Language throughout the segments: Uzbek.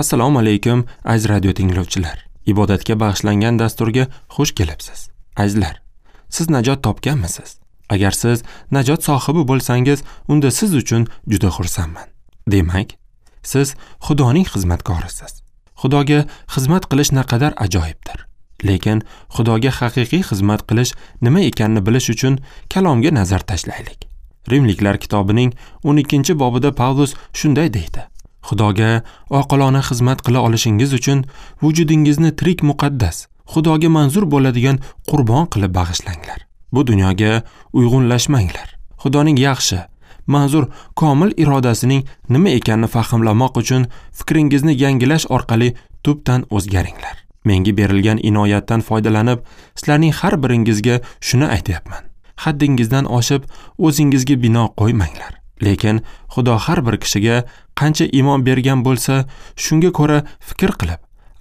Assalomu alaykum, aziz radio tinglovchilar. Ibodatga bag'ishlangan dasturga xush kelibsiz. Azizlar, siz najot topganmisiz? Agar siz najot sohibi bo'lsangiz, unda siz uchun juda xursandman. Demak, siz Xudoning xizmatkorisiz. Xudoga xizmat qilish naqadar ajoyibdir. Lekin Xudoga haqiqiy xizmat qilish nima ekanini bilish uchun kalomga nazar tashlaylik. Rimliklar kitobining 12-bobida Pavlus shunday deydi: Xudoga oqilona xizmat qila olishingiz uchun vujudingizni tirik muqaddas, Xudoga manzur bo'ladigan qurbon qilib bag'ishlanglar. Bu dunyoga uyg'unlashmanglar. Xudoning yaxshi, manzur, komil irodasining nima ekanini fahmlamoq uchun fikringizni yangilash orqali tubdan o'zgaringlar. Menga berilgan inoyatdan foydalanib, sizlarning har biringizga shuni aytyapman. Haddingizdan oshib, o'zingizga bino qo'ymanglar. Lekin Xudo har bir kishiga qancha iymon bergan bo'lsa, shunga ko'ra fikr qilib,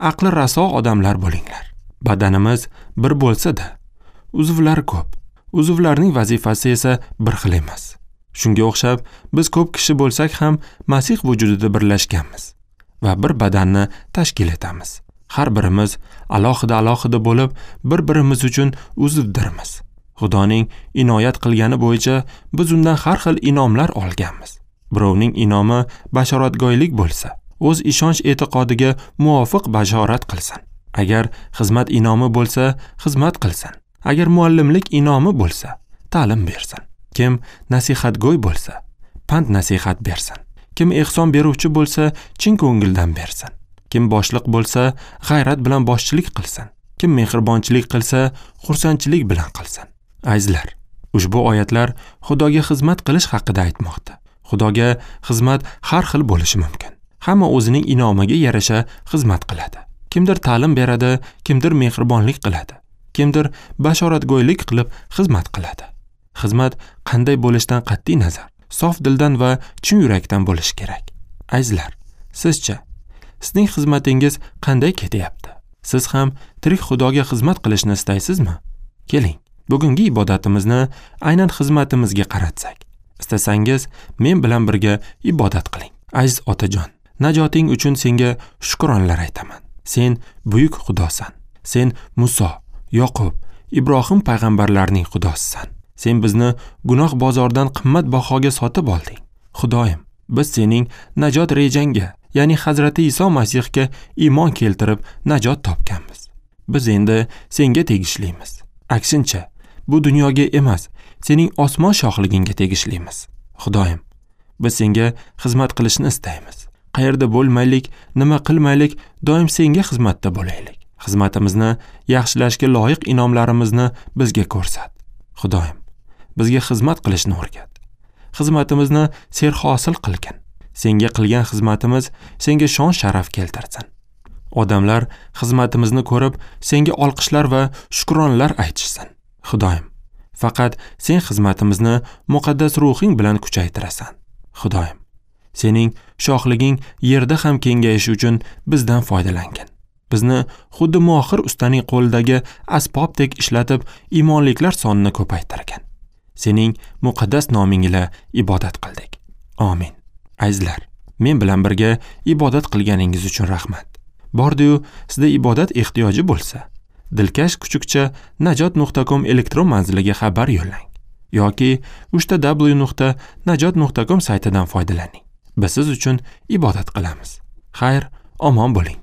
aqli raso odamlar bo'linglar. Badanimiz bir bo'lsa-da, uzvlar ko'p. Uzvlarning vazifasi esa bir xil emas. Shunga o'xshab, biz ko'p kishi bo'lsak ham Masih vujudida birlashganmiz va bir badanni tashkil etamiz. Har birimiz alohida-alohida bo'lib, bir-birimiz uchun uzvdirmiz. Xudoning inoyat qilgani bo'yicha biz undan har xil inomlar olganmiz. Birovning inomi bashoratgo'ylik bo'lsa, o'z ishonch e'tiqodiga muvofiq bashorat qilsin. Agar xizmat inomi bo'lsa, xizmat qilsin. Agar muallimlik inomi bo'lsa, ta'lim bersin. Kim nasihatgo'y bo'lsa, pand nasihat bersin. Kim ehson beruvchi bo'lsa, chin ko'ngildan bersin. Kim boshliq bo'lsa, g'ayrat bilan boshchilik qilsin. Kim mehribonchilik qilsa, xursandchilik bilan qilsin. Azizlar, ushbu oyatlar Xudoga xizmat qilish haqida aytmoqda. Xudoga xizmat har xil bo'lishi mumkin. Hamma o'zining inomiga yarasha xizmat qiladi. Kimdir ta'lim beradi, kimdir mehribonlik qiladi, kimdir bashoratgo'ylik qilib xizmat qiladi. Xizmat qanday bo'lishidan qat'iy nazar, sof dildan va chin yurakdan bo'lishi kerak. Azizlar, sizcha sizning xizmatingiz qanday ketyapti? Siz ham tirik Xudoga xizmat qilishni istaysizmi? Keling, bugungi ibodatimizni aynan xizmatimizga qaratsak. Istasangiz, men bilan birga ibodat qiling. Aziz otajon, najoting uchun senga shukronlar aytaman. Sen buyuk Xudosan. Sen Muso, Yoqub, Ibrohim payg'ambarlarning Xudosisan. Sen bizni gunoh bozoridan qimmat bahoga sotib olding. Xudoyim, biz sening najot rejangga, ya'ni Hazrati Iso Masihga iymon keltirib najot topganmiz. Biz endi senga tegishlimiz. Aksincha, bu dunyoga emas, sening osmon shohligingga tegishlimiz. Xudoyim, biz senga xizmat qilishni istaymiz. Qayerda bo'lmaylik, nima qilmaylik, doim senga xizmatda bo'laylik. Xizmatimizni yaxshilashga loyiq inomlarimizni bizga ko'rsat. Xudoyim, bizga xizmat qilishni o'rgat. Xizmatimizni serhosil qilgin. Senga qilgan xizmatimiz senga shon sharaf keltirsin. Odamlar xizmatimizni ko'rib, senga olqishlar va shukronlar aytishsin. Xudoyim, faqat sen xizmatimizni muqaddas ruhing bilan kuchaytirasan. Xudoyim, sening shohliging yerda ham kengayishi uchun bizdan foydalangin. Bizni xuddi mohir ustaning qo'lidagi asbobdek ishlatib, iymonliklar sonini ko'paytirgin. Sening muqaddas noming ila ibodat qildik. Amin. Azizlar, men bilan birga ibodat qilganingiz uchun rahmat. Bordi-yu, sizda ibodat ehtiyoji bo'lsa, dilkash kuchukcha najot.com elektron manziliga xabar yo'llang yoki www.najot.com saytidan foydalaning. Biz siz uchun ibodat qilamiz. Xayr, omon bo'ling.